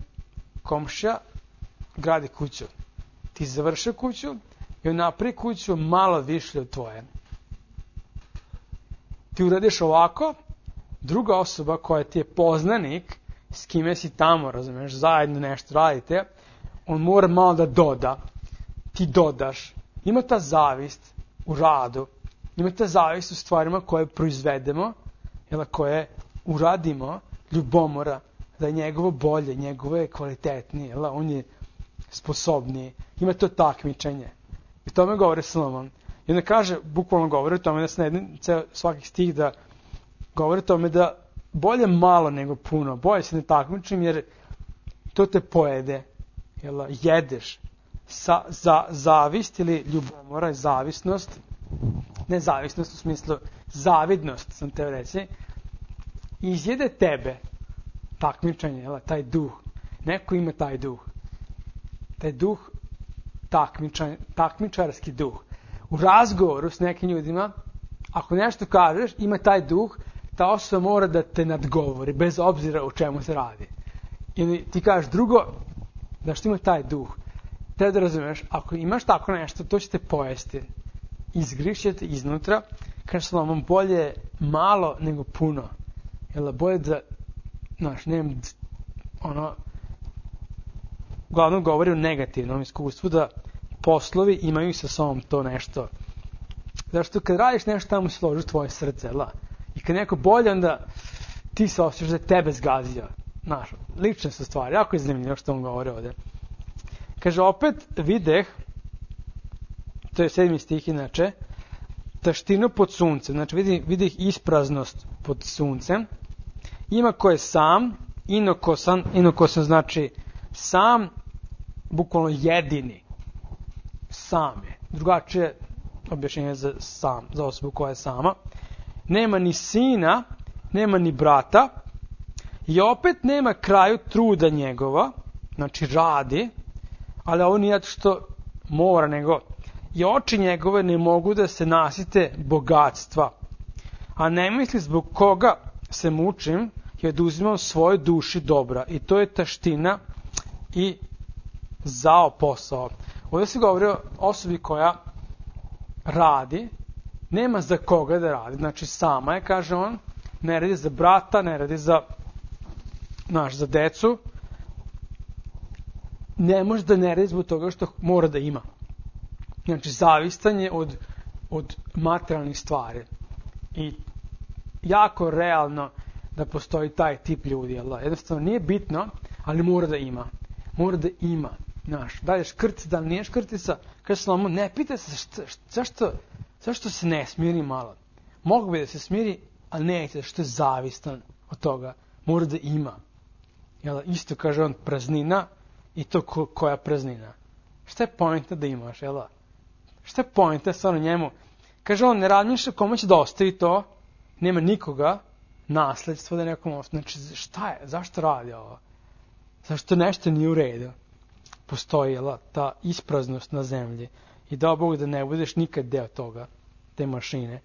komšija gradi kuću. Ti završi kuću i on napravi kuću malo više od tvoje. Ti uradiš ovako, druga osoba koja ti je poznanik, s kime si tamo, razumiješ, zajedno nešto radite, on mora malo da doda. Ti dodaš. Ima ta zavist u radu, ima ta zavist u stvarima koje proizvedemo, koje uradimo, ljubomora, da je njegovo bolje, njegovo je kvalitetnije, on je sposobniji. Ima to takmičenje. I tome govori Solomon. I onda kaže, bukvalno govori o tome da se na svakih stih da govori o tome da bolje malo nego puno. Bolje se ne takmičim jer to te pojede. Jedeš. Zavist ili ljubomora je zavisnost. Ne zavisnost u smislu zavidnost, sam te reći. Izjede tebe. Takmičenje, taj duh. Neko ima taj duh. Taj duh, takmičarski duh. U razgovoru s nekim ljudima, ako nešto kažeš, ima taj duh, ta osoba mora da te nadgovori, bez obzira o čemu se radi. Ili ti kažeš drugo, da što ima taj duh. Treba da razumeš, ako imaš tako nešto, to će te pojesti. Izgrišće te iznutra, kaže Solomon, bolje malo nego puno. Bolje da, uglavnom govori o negativnom iskustvu, da poslovi imaju sa sobom to nešto. Zašto kad radiš nešto, tamo se loži tvoje srce, I kad neko bolje, onda ti se osjećaš da je tebe zgazio. Znaš, lične su stvari, jako je zanimljivo što on govori ovde. Kaže, opet videh, to je 7. stih inače, taštinu pod suncem, znači videh ispraznost pod suncem, ima ko je sam, inokosan znači sam, bukvalno jedini, sam je, drugačije objašnjenje za sam, za osobu koja je sama, nema ni sina, nema ni brata, i opet nema kraju truda njegova, znači radi, ali ovo nije što mora, nego i oči njegove ne mogu da se nasite bogatstva. A ne misli zbog koga se mučim i oduzimam svojoj duši dobra. I to je taština i zao posao. Ovdje se govori o osobi koja radi, nema za koga da radi. Znači sama je, kaže on, ne radi za brata, ne radi za decu. Ne može da ne radi zbog toga što mora da ima. Znači, zavistan je od materijalnih stvari. I jako realno da postoji taj tip ljudi. Jednostavno nije bitno, ali mora da ima. Mora da ima. Znaš, da li je škrtica, da li nije škrtica. Kaže Solomon, ne pita se zašto se ne smiri malo. Mogu bi da se smiri, ali neće, zašto je zavistan od toga. Mora da ima. Isto kaže on, praznina i to koja praznina. Šta je poenta da imaš, Šta je poenta stvarno njemu? Kaže on, ne razmišlja kome će da ostavi to, nema nikoga, nasledstvo da nekom ostavi. Znači, šta je? Zašto radi ovo? Zašto nešto nije u redu? Postoji, ta ispraznost na zemlji. I dao Bog da ne budeš nikad deo toga, te mašine.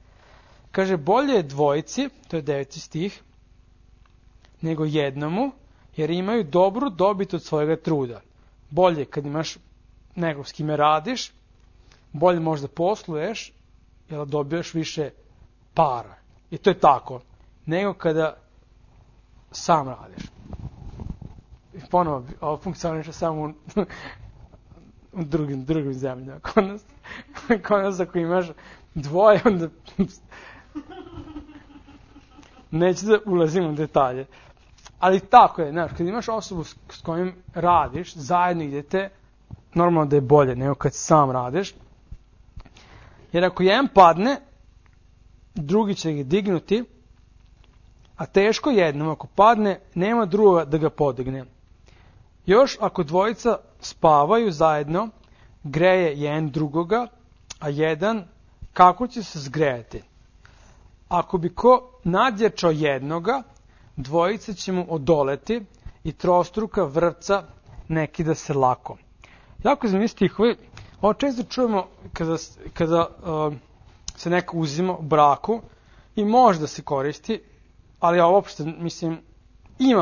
Kaže, bolje je dvojici, to je 9. stih, nego jednomu, jer imaju dobru dobit od svojega truda. Bolje kad imaš nekog s kime radiš, bolje možda posluješ, jer dobijaš više para. I to je tako. Nego kada sam radiš. I ponovo, ovo funkcioniše samo u drugim zemljama. Kod nas ako imaš dvoje, onda neću da ulazim u detalje. Ali tako je, znaš, kad imaš osobu s kojim radiš, zajedno idete, normalno da je bolje nego kad sam radiš. Jer ako jedan padne, drugi će ga dignuti, a teško jednom ako padne, nema druga da ga podigne. Još ako dvojica spavaju zajedno, greje jedan drugoga, a jedan kako će se zgrejati. Ako bi ko nadjačao jednoga, dvojica će mu odoleti i trostruka vrpca ne kida se lako. Jako zanimljivi stihovi. Ovo često čujemo kada se neko uzima u braku i može da se koristi, ali ja uopšte, mislim,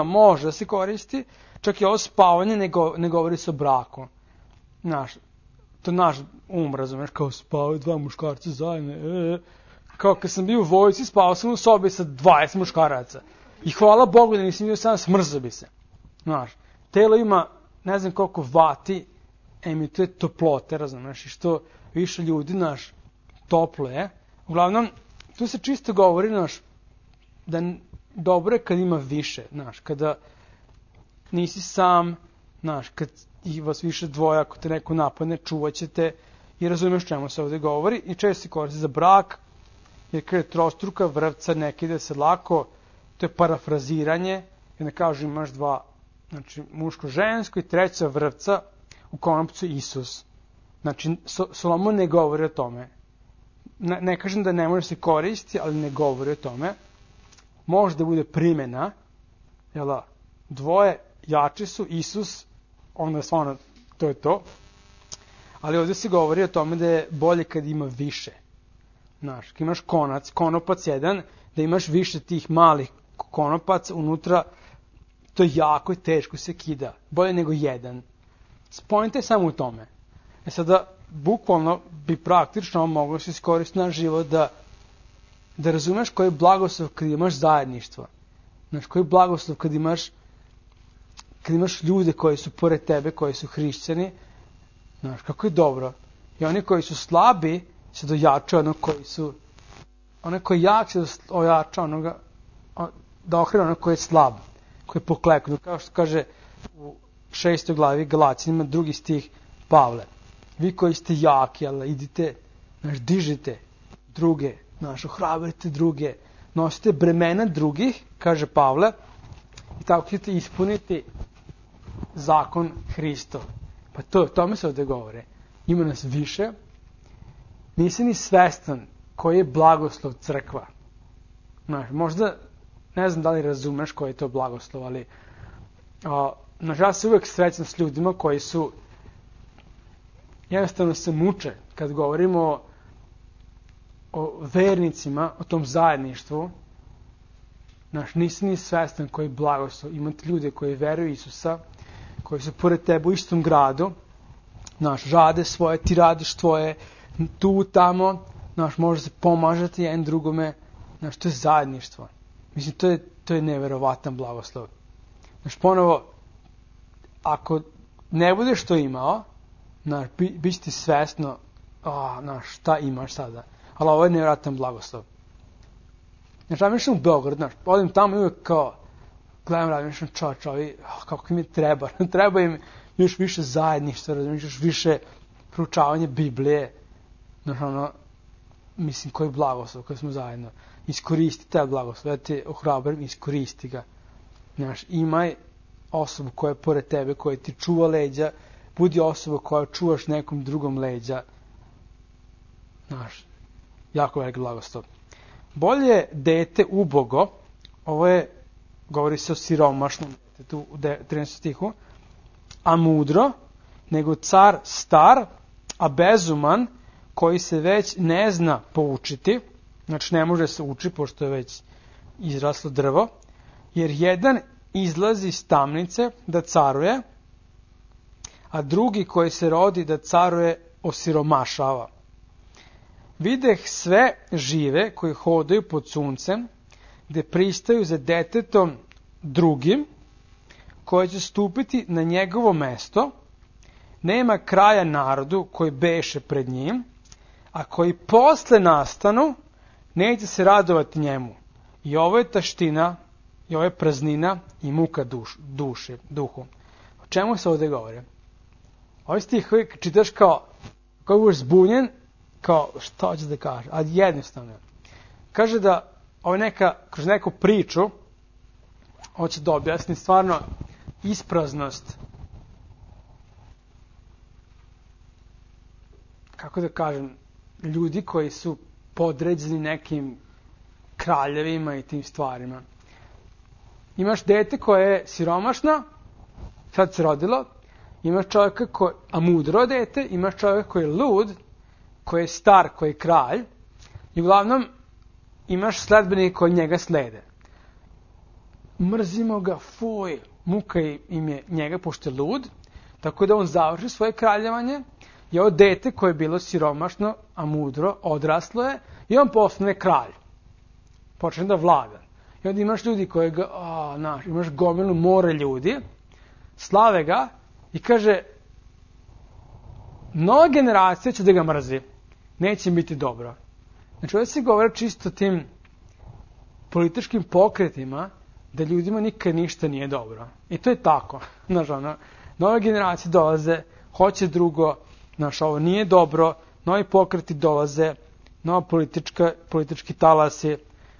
može da se koristi, čak i ovo spavanje ne govori se o braku. To naš razumeš, kao spavaju dva muškarca zajedno. Kao kad sam bio u vojsci, spavao sam u sobi sa 20 muškaraca. I hvala Bogu da nisam bio sam, smrzao bi se. Telo ima, ne znam koliko vati, emituje toplote, razumeš, i što više ljudi, toplo je. Uglavnom, tu se čisto govori, da dobro je kad ima više, kada nisi sam, kad vas više dvoje, ako te neko napadne, čuvat ćete i razumeš čemu se ovdje govori. I često se koristi za brak, jer kada je trostruka vrpca, ne kida se lako, to je parafraziranje, jer ne kažu imaš dva, muško-žensko i treća vrpca, u konopcu Isus. Znači, Solomon ne govori o tome. Ne kažem da ne može se koristiti, ali ne govori o tome. Može da bude primjena, dvoje jači su, Isus, onda stvarno to je to. Ali ovdje se govori o tome da je bolje kad ima više. Kad imaš konopac jedan, da imaš više tih malih konopaca unutra, to je jako i teško se kida. Bolje nego jedan. Poenta je samo u tome. Sada, bukvalno bi praktično moglo se iskoristiti naš život da razumeš koji je blagoslov kad imaš zajedništvo. Koji je blagoslov kad imaš ljude koji su pored tebe, koji su hrišćani. Kako je dobro. I oni koji su slabi će dojačati onog koji su, onaj koji je jak će ojača onoga, da ohrani onog koji je slab, koji je pokleknu. Kao što kaže u 6. glavi Galaćanima, 2. stih Pavle. Vi koji ste jaki, ali idite, dižite druge, ohrabrite druge, nosite bremena drugih, kaže Pavle, i tako ćete ispuniti zakon Hristov. Pa to, tome se ovdje govore. Ima nas više. Nisi ni svestan koji je blagoslov crkva. Možda, ne znam da li razumeš koji je to blagoslov, ali ja se uvijek srećam s ljudima koji su jednostavno se muče kad govorimo o vernicima, o tom zajedništvu. Nisi ni svestan koji je blagoslov. Imate ljude koji veruju Isusa, koji su pored tebe u istom gradu, rade svoje, ti radiš tvoje, tu, tamo, može se pomažati jedan drugome, to je zajedništvo. Mislim, to je neverovatan blagoslov. Ponovo, ako ne budeš to imao, bit će ti svesno, šta imaš sada. Ali ovo je neverovatan blagoslov. Ja mišljam u Beograd, odim tamo i uvijek kao, gledam, razmišljam čovječ, kako im je treba. Treba im još više zajedništva, još više proučavanje Biblije. Mislim, koji blagoslov, koji smo zajedno. Iskoristi taj blagoslov, ja te ohrabrim, iskoristi ga. Imaj osobu koja je pored tebe, koja ti čuva leđa, budi osoba koja čuvaš nekom drugom leđa. Jako veliki blagoslov. Bolje dete ubogo, ovo je, govori se o siromašnom detetu u 13. stihu, a mudro, nego car star, a bezuman, koji se već ne zna poučiti, ne može se uči, pošto je već izraslo drvo, jer jedan izlazi iz tamnice da caruje, a drugi koji se rodi da caruje osiromašava. Videh sve žive koji hodaju pod suncem, gde pristaju za detetom drugim, koji će stupiti na njegovo mesto, nema kraja narodu koji beše pred njim, a koji posle nastanu, neće se radovati njemu. I ovo je taština, i ovo je praznina i muka duhu. O čemu se ovdje govori? Ovaj stih koji čitaš kao budeš zbunjen, kao što hoće da kaže, a jednostavno. Kaže da kroz neku priču hoće da objasni stvarno ispraznost, kako da kažem, ljudi koji su podređeni nekim kraljevima i tim stvarima. Imaš dete koje je siromašno, sad se rodilo, imaš čovjeka a mudro dete, imaš čovjeka koji je lud, koji je star, koji je kralj, i uglavnom imaš sledbenike koji njega slede. Mrzimo ga, fuj, muka im je njega pošto je lud, tako da on završi svoje kraljevanje, i ovo dete koje je bilo siromašno, a mudro, odraslo je, i on postane kralj. Počne da vlada. I onda imaš ljudi koji imaš gomilu more ljudi, slave ga, i kaže, nova generacija će da ga mrzi. Neće biti dobro. Ovdje se govori čisto tim političkim pokretima, da ljudima nikad ništa nije dobro. I to je tako. Nove generacije dolaze, hoće drugo, ovo nije dobro, novi pokreti dolaze, nova politički talasi.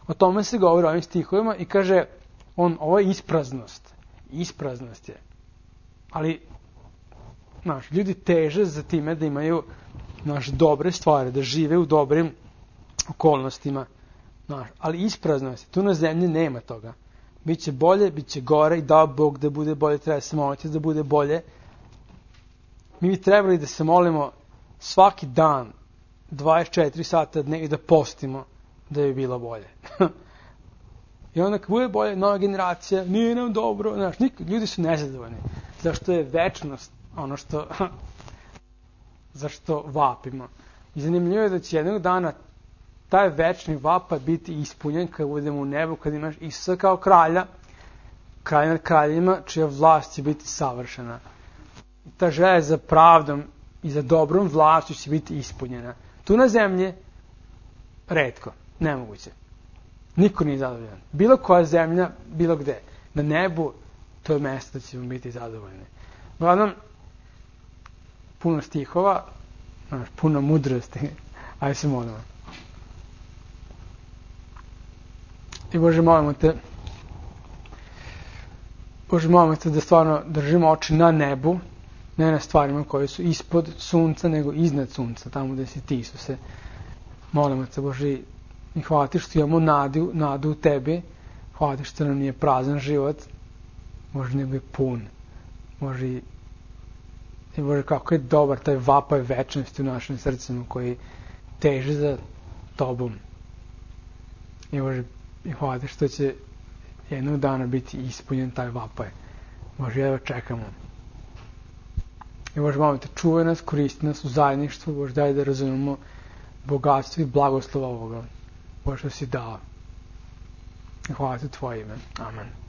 O tome se govori o ovim stihovima i kaže, ovo je ispraznost. Ispraznost je. Ali, ljudi teže za time da imaju dobre stvari, da žive u dobrim okolnostima. Ali ispraznost je. Tu na zemlji nema toga. Biće bolje, biće gore i dao Bog da bude bolje, treba se moliti da bude bolje. Mi bi trebali da se molimo svaki dan, 24 sata dne i da postimo da bi bilo bolje. I onda kad bude bolje, nova generacija, nije nam dobro, ljudi su nezadovoljni. Zašto je večnost ono zašto vapimo. I zanimljivo je da će jednog dana taj večni vapaj biti ispunjen kad budemo u nebu, kad imaš Isusa kao kralja, kralj nad kraljima, čija vlast će biti savršena. I ta želja za pravdom i za dobrom vlašću će biti ispunjena. Tu na zemlji retko, nemoguće. Niko nije zadovoljan. Bilo koja zemlja, bilo gde. Na nebu, to je mesto da ćemo biti zadovoljni. Uglavnom, puno stihova, puno mudrosti. Ajde se molimo. I Bože, molimo te da stvarno držimo oči na nebu, ne na stvarima koje su ispod sunca, nego iznad sunca, tamo gde si ti, Isuse. Molimo te, Bože, i hvala ti što imamo nadu u tebi, hvala ti što nam nije prazan život, Bože, nego je pun. Bože, kako je dobar taj vapaj večnosti u našim srcima koji teže za tobom. I Bože, i hvala ti što će jednog dana biti ispunjen taj vapaj. Bože, jedva čekamo. I Bože, malo te čuvaj nas, koristi nas u zajedništvu, Bože, daj da razumemo bogatstvo i blagoslova ovoga. Bože, što si dao. I hvala ti tvoje ime. Amen.